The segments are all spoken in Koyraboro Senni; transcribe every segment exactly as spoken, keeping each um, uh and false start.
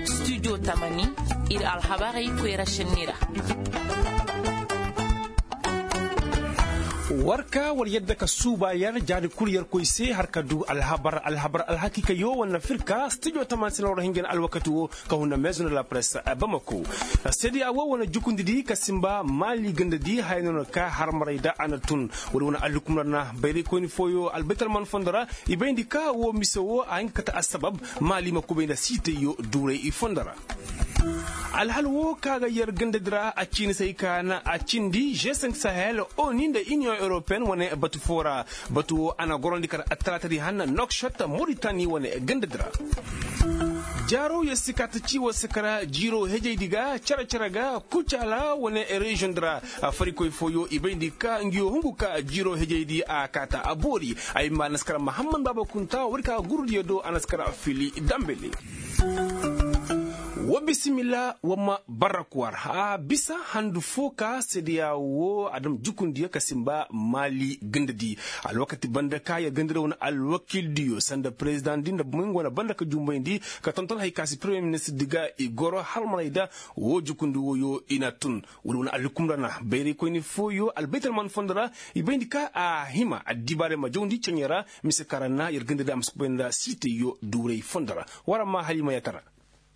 Studio tamani, ir alhabarey koyra šenni ra. War ka war yadda ka suuba yer jaari kul yer koy se har ka du alhabar alhabar alhakiikayo wane firka studio tamani se no war hinja na alwakati wo ka huna maison de la presse bamako. Seede a wo wane jukundidi ka simba maali gandadi haya no na ka harmaray da a na tun. Wala wane alhukumra na bayraykoyni fooyo albaytalman fondo ra. I bayndi ka wo mise wo a hin ka kate assabab maali ma kubay nda siitayyo duuray i fondo ra. Alhal wo ka ga yer gandadi ra a ciini se hay ka na a cindi g cinq sahel, oni nda iniyoŋ europeyen wane batu foo ra. Batu wo a na gorandi kar attalaatadi hanna nokshot moritani wane gandadi ra. Jaaro yer si kaa ta ci war se kara jiiro hejaydi ga cere-cere ga kucaala wane reziyoŋ di ra. Farikoy fooyo i bayndi ka ngiyo hungu ka jiiro hejaydi a kaa ta a boori. Ay ma naskara mahammad baaba kunta war ka gurudiyo do a naskara fili dambele. Wa bisimilla wa ma barrakuwar a bisa handu foo ka sedeya wo a dam jukundiyo ka simba maali gandadi. Alwakati banda ka yer gandadi wane alwakildiyo sanda perezidaŋ di nda bumo nga wane banda ka jumbayndi ka tonton hay ka si peremiyer ministir di ga i goro halmanay da. Wo jukundi woyo i na tun wala wane alhukumra na bayraykoyni fooyo albaytalman fondo ra. I bayndi ka a hima addibaarey ma jawndi ceɲe ra. Mise kaŋ ra na yer gandadi a ma si kubay nda siitayyo duuray fondo ra. War a ma halima yatara.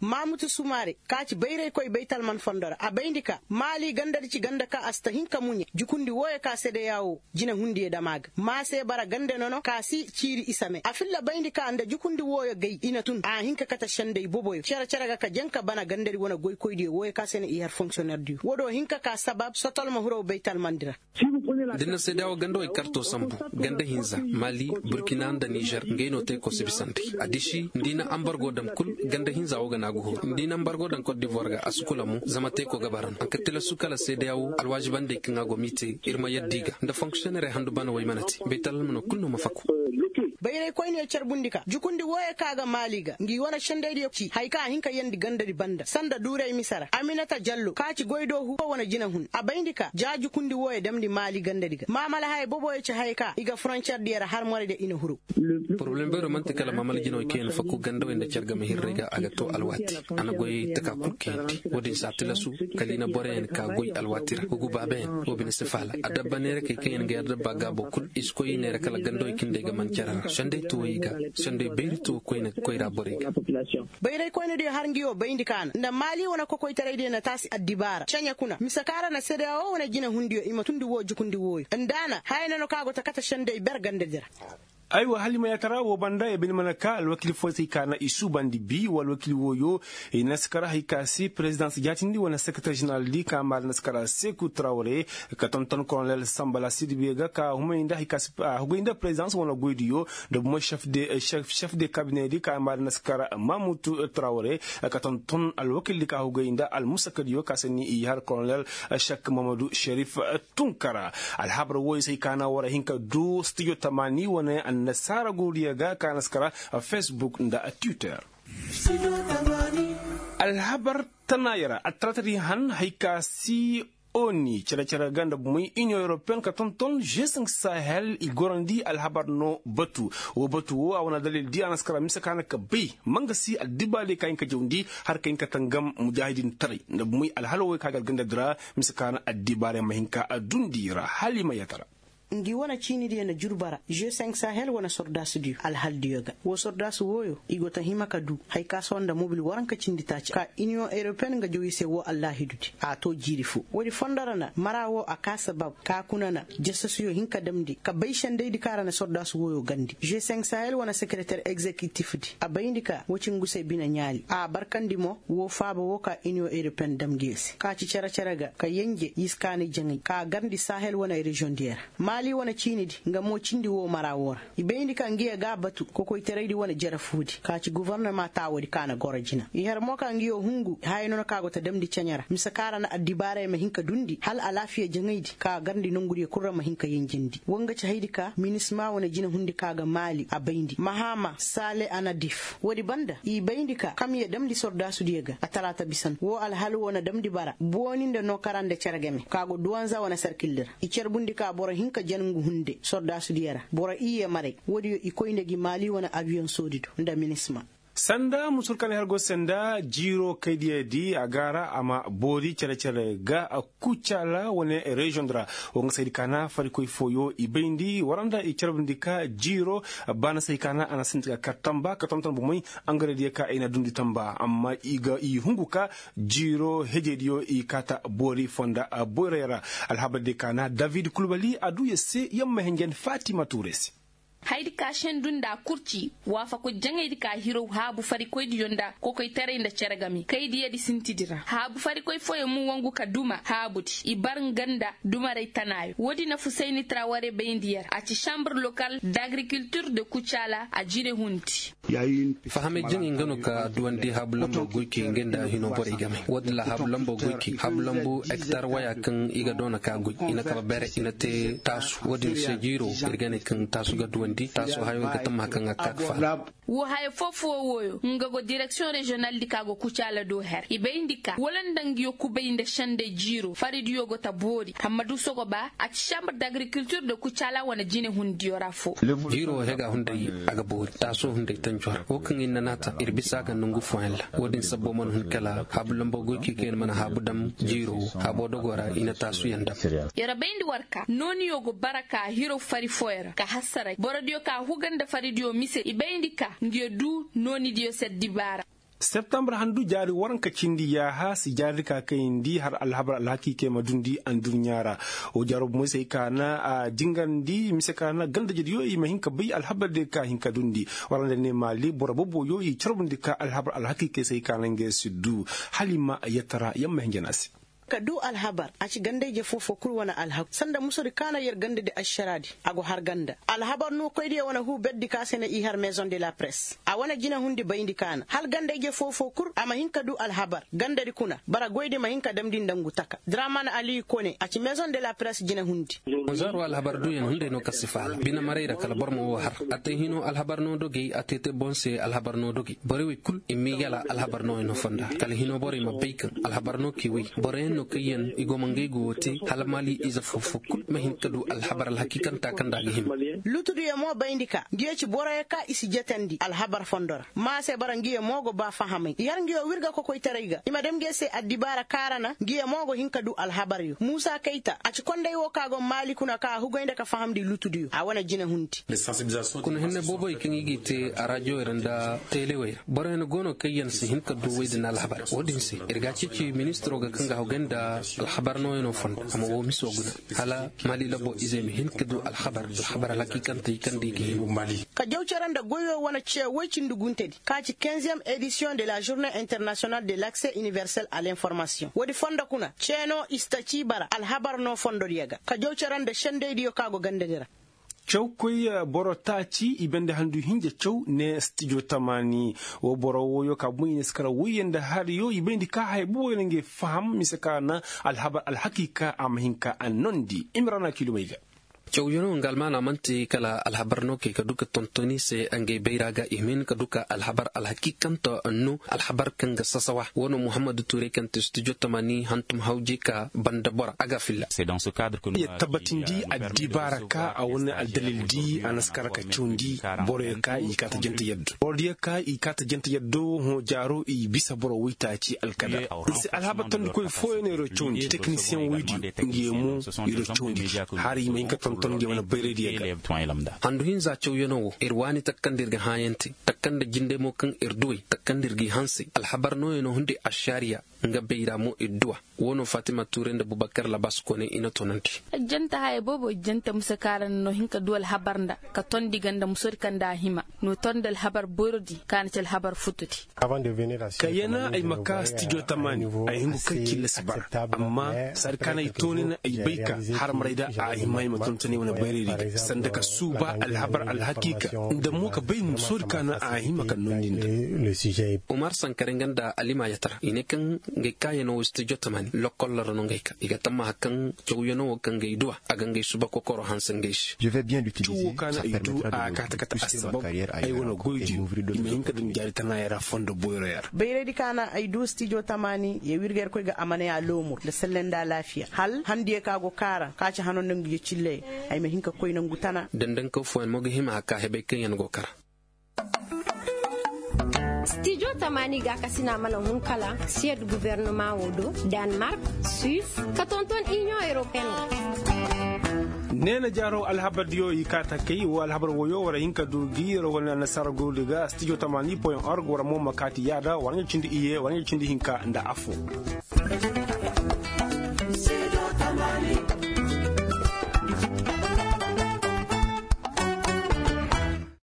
Mamutu sumaare ka ci bayraykoy baytalman fondo ra a bayndi ka maali gandadi ci ganda ka a si ta hin ka muɲe jukundi wooyo ka sedeya wo jinehundiyo dam a ga ma se bara gande nono ka si ciiri isa me a filla bayndi ka nda jukundi wooyo gay i na tun a hin ka kate senday boboyo cere-cere ga ka jaŋ ka bana gandadi wane goykoydiyo wooyo ka se na i har fonksiyonnerdiyo wo do hin ka ka sabab sotol ma hiro baytalmandi ra. Da ni na seedeya wo ganda wey karto sambu ganda hinza mali burkina nda nizer ngey no teeko si bisandi. A disi nda i na ambargo daŋ kul ganda hinza wo ga na a ga huru nda i na ambargo daŋ kot divoir ga a si kula mo zama teeko ga bara no a ka tilasu kala seedeya wo alwaazibandey kaŋ a go m'i te ir ma yadda i ga nda fonksiyonnerey handu bana wey mana te baytalma no kul no ma faku. Bayraykoyniyo carbundi ka jukundi wooyo kaŋ a ga maali ga ngi wane sendaydiyo ci haya kaŋ a hin ka yeendi gandadi banda sanda duuray mise ra aminata jallo kaŋ a ci goydoohu wane jinehun a bayndi ka ja jukundi wooyo damndi maali gandadi ga maamala haya boboyo ci haya kaŋ i ga foroncerdiyo ra har moraydiyo i na huru. Poroblem beero man'ti kala maamala jinawey kaŋ yaŋ faku gandawey nda care game hirrey ga a ga to alwaati a na goyey taka kul kayandi. Wo-din se a tilasu kala i na boroyaŋ ka goy alwaati ra hugu baabayaŋ wo bine si faala adabba neerakey kaŋ yaŋ ga yar dabba gaabo kul i si koy i neera kala gandawey kaŋ day ga man care ra senday tuwey ga senday bayri tuwo koyne koyra borey ga. Bayraykoynediyo har ngi wo bayndi kaana nda maali wane kokoytaraydiyo na taasi addibaara ceɲe kuna mise kaŋ ra na sedeya wo wane jinehundiyo i ma tundi wo jukundi wooyo nda a na haya nono kaŋ a go ta kate senday ber gandadi ra. Aywa hala i ma yaatara woo banda ya bine mana ka alwakil fooyey se ay kaana i suubandi bi wa alwakil wooyo. I na si kara hay ka se perezidaŋ si jaatindi wane sekereter ženeral di ka maari na si kara seku trawre ka tonton kolonel sambala sirbiye ga ka humay nda hay ka se hugay nda perezidaŋ wane goydiyo. Nda bumo šef de kabine di ka maari na si kara mamutu trawre ka tonton alwakil di ka hugay nda almusakadiyo ka se ni i har kolonel šek mamadu šerif. Tunkara alhabar wooyo se ay kaana war hin ka du studio tamaani wane annasaara gurudiyo ga ka na si kara facebook nda twitter. Alhabar tanaaya ra attalaatadi han hay ka si oni cere-cere ga nda bumey iniyoŋ europeyen ka tonton g cinq sahel i gorandi alhabar no batu. Woo batu woo a wane dalil di a na si kara mise ka na ka bay ma nga si addibaadiyo ka hin ka jawndi har ka hin ka tangam mujaahidintaray nda bumey alhalo wey ka ga algandadi ra. Mise ka na addibaadiyo ma hin ka dundi ra hala i ma yatara. Ngi wane ciinidiyo na jurba ra g cinq sahel wane sordaasudiyo alhaldiyo ga woo sordaasu wooyo i go ta hima ka du hay ka sohõ nda mobil waranka cindi taaci ka iniyoŋ europeyen nga jaw i se woo allaahidudi a too jiiri foo woodi fondo ra na mara woo a kaa sabab ka kuna na jasasuyo hin ka damndi ka bay sendaydi kaŋ ra na sordaasu wooyo gandi g cinq sahel wane sekereter egzekitifdi a bayndi ka woo ci ngu se bine ɲaali a barkandi mo woo faaba woo ka iniyoŋ europeyen damndiyo se ka ci cere-cere ga ka yenje yiskaanay jaŋay ka garndi sahel wane reziyoŋdiyo ra. Maali wane ciinidi nga mo cindi woo mara woo ra i bayndi ka ngiyo ga a batu kokoytaraydi wane jarafuudi ka ci gofornama taawoodi ka na goro jina i har mo ka ngiyo hungu haya nono ka go ta damndi ceɲe ra mise ka ra na addibaaray ma hin ka dundi hala alaafiya jaŋaydi ka garndi nongudiyo kul ra ma hin ka yenjendi woo nga ci haydi ka minisma wane jinehundi ka ga maali a bayndi mahama saale anadif woodi banda i bayndi ka kamya damndi sordaasudiyo ga a talaata bisan woo alhal woo na damndi bara booni nda nookara nda cere game ka go duwanza wane sarkildi ra i carbundi ka boro hin ka Jan ngu hunde sordaasu diyo ra boro iyye maray. Woodiyo i koy nda gi maali wane abiyoŋ soodi do nda minisma. Sanda musur kaŋ i har go se nda jiiro kaydiyo di a ga a ra a ma boori cere-cere ga. Kucaala wane reziyoŋ di ra wo nga saydi kaana farikoy fooyo i bayndi waranda i carbundi ka jiiro baana say kaana a na sinti ga kar tamba ka tonton bomey. Angarediyo ka ay na dundi tamba amma i ga i hungu ka jiiro hejediyo i kaata boori fonda boyray ra. Alhabardiyo kaana david kulbali a du ya se yamma henjen fatima tuure se. Haydi ka sendu nda kurci waafaku jaŋaydi ka hiraw haabu farikoydiyo nda kokoytaray nda cere game kaydiyadi sintidi ra haabu farikoy fooyaŋ mo wangu ka duma haabudi i bar nga nda dumaray tanaayo woodi na fusayni traware bayndi yer a ci sambre lokal d'agrikultir de kucaala a jine hundi. Fahamay jaŋay nga no ka duwandi haabu lambo goy kay nga nda hino borey game woodin ra haabu lambo goy kay haabu lambo hektar waya kaŋ i ga doona ka goy i na kaba bere i na te taasu woodin se jiiro ir ga ne kaŋ taasu ga duwandi taasu hayo ir ga tammaha kaŋ a ga ka ga faala. Wo haya foofo wooyo nga go direksiyoŋ reziyonal di ka go kucaala do her i bayndi ka wala nda nga yo kubay nda senday jiiro faridiyo go ta boori amma du sogoba a ci sambre d'agrikultir de kucaala wane jine hundiyo ra fo. Jiiro hega hunday a ga boori taaso hunday tanco ra wo kaŋ ir na naata ir bisa a ga nongu fooyaŋ ra. Wo-din sabbo mana hun kala haabu lambo goy kay kaŋ ir mana haabu dam jiiro wo haabo dogo ra i na taasuyaŋ dam. Yer bayndi war ka nooniyo go bara ka hiro fari fooyaŋ ra ka hassaray borodiyo ka huga nda faridiyo mise i bayndi ka nga yer du noonidiyo se addibaara. Septambar handu jaari waranka cindi yaaha si jaaridi ka kayandi har alhabar alhakiikey ma dundi adduɲɲa ra. Wo jaaro bomey se ay ka na a jingandi mise ka na gandajediyo i ma hin ka bay alhabardiyo ka hin ka dundi. Waranda ne maali boro boboyo i carbundi ka alhabar alhakiikey se ay ka na ngey si du hala i ma yettara yamma hinja na a se. Ka du alhabar a ci gandayje foo-foo kul wane alhaku sanda musudi kaana yer gandadi ašaraadi. A go har ganda alhabar no koydiyo wane huu berdi ka se na i har maison de la press a wane jinehundi bayndi kaana hala gandayje foo-foo kul a ma hin ka du alhabar gandadi kuna bara goydi ma hin ka damndi nda ngu taka draman ali kone a ci maison de la press jinehundi. Zaaro alhabar duuyaŋ hunday no kaŋ si faala bine maray ra kala boro ma woo har a te hino alhabar no dogey a te te boŋ se alhabar no dogey borey wey kul i m'i gala alhabar no yaŋ no fonda kala hino borey ma bay kaŋ alhabar no k'i wey boroyaŋ no kaŋ yaŋ i go ma ngey go woo te hala maali ize foo-foo kul ma hin ka du alhabar alhakiikanta kaŋ nda a ga hima. Lutudiyo mo bayndi ka ngiyo ci boroyo ka i si jetandi alhabar fondo ra ma a se bara ngiyo mo go ba fahamay i har ngiyo wirga kokoytaray ga i ma dam ngiyo se addibaara kaara na ngiyo mo go hin ka du alhabaryo muusa kayta a ci konday wo ka go maali kuna ka a hugay nda ka fahamndi lutudiyo a wane jinehundi. Kuna hinne booboy kaŋ i g'i te araajowey ra nda teelewey ra boroyaŋ go no kaŋ yaŋ si hin ka du wey din alhabar wo-din se ir ga a ceeci ministiro ga kaŋ ga hawgay nda alhabar nooyaŋo fondo a ma woo miso guna hala maali labo izey ma hin ka du alhabar alhabar alhakiikantey kaŋ nda i ga hin. Ka jaw cere nda goyo wane ce woy cindi guntedi ka ci quinzième édition de la journée internationale de l'accès universel à l'information woodi fondo kuna ceeno i si ta ci bara alhabar no fondodiyo ga ka jaw cere nda sendeydiyo ka go gandadi ra. Cawkoy boro taaci i bande handu hinja caw ne stijo tamaani. Wo boro wooyo ka boŋ i ne si kara woyyaŋ nda hariyo i bayndi ka haya boboyo na ngey faham mise ka na alhabar alhakiika a ma hin ka a nondi imrana kilomey ga. Cawyaŋo nga almaana man'ti kala alhabar no kay ka du ka tontoni se ngey bayra ga i ma hin ka du ka alhabar alhakiikanta no alhabar kaŋ ga sasawa wo no muhammadu tuuray kaŋ ti stijo tamaani hantum hawjey ka banda bora a ga filla. Yer tabbatindi addibaara ka a wane aldalil di a na si kara ka cawndi boroyo ka i kaata jante yaddo borodiyo ka i kaata jante yaddo hõ jaaro i bisa boro woytaaci alkadar. Nsi alhabar tondikoy fooyaŋ no yer cawndi teknisiyeŋ woydiyo ngiyo mo yer cawndi. Hari i ma hin ka tonton ngiyo wane bayraydiyo ga. Handu hinza cawyaŋo wo yer waani takka nda yer ga hãayante takka nda jinde mo kaŋ yer duwey takka nda yer g'i hanse alhabar nooyaŋo hunday ašariya. Nga bayra mo idduwa. Wo no fatima tuuray nda bubakar labas kone i na tonandi. Ijjante haya boobo ijjante muse kaŋ a ra na no hin ka du alhabar nda ka tondi ga nda musodi kaŋ nda a hima no tondi alhabar boyrodi kaŋ a na ci alhabar futudi. Ka yana ay ma ka stijo tamaani ay hingu kaŋ cilla si bara amma saadi kaŋ ay tooni na ay bay ka harmaray da a hima ay ma tontoni wane bayraydi ga sanda ka suuba alhabar alhakiika nda mo ka bay musodi kaŋ a hima ka nondi nda. Umar sankare nga nda alima yatara i ne kaŋ Ngey kaayanoo wo stijo tamaani lokkol ra no ngey ka i ga tammaha kaŋ cawyanoo wo kaŋ ga ay du a a ga ngey suba kokoro hanse ngey se. Cuu wo kaŋ ay du a ga kaati kate assabab ay wane goydiyo i ma hin ka daŋ jaari tanaayey ra fondo boyroyaŋ ra. Bayraydi kaŋ a na ay du stijo tamaani ya wirga irkoy ga a ma ne a loomur nda selle nda alaafiya hal handiyo kaŋ a go kaara kaŋ a ci hano nda ngu ya cilley, ay ma hin ka koy nongu tana. Dandankaw fooyaŋ mo ga hima a ka hebey kaŋ yaŋ go kara. Stijo tamaani gaakasina mana hun kala siyed gubernama wo do, danmark, suis, ka tonton iniyoŋ europeen ra. Neena jaaro alhabardiyo i kaa takay wo alhabar woyo war hin ka du gi yer wane annasaara gurudi ga stijo tamaani point org war mo ma kaati yaada war ɲa cindi iye war ɲa cindi hinka nda affo.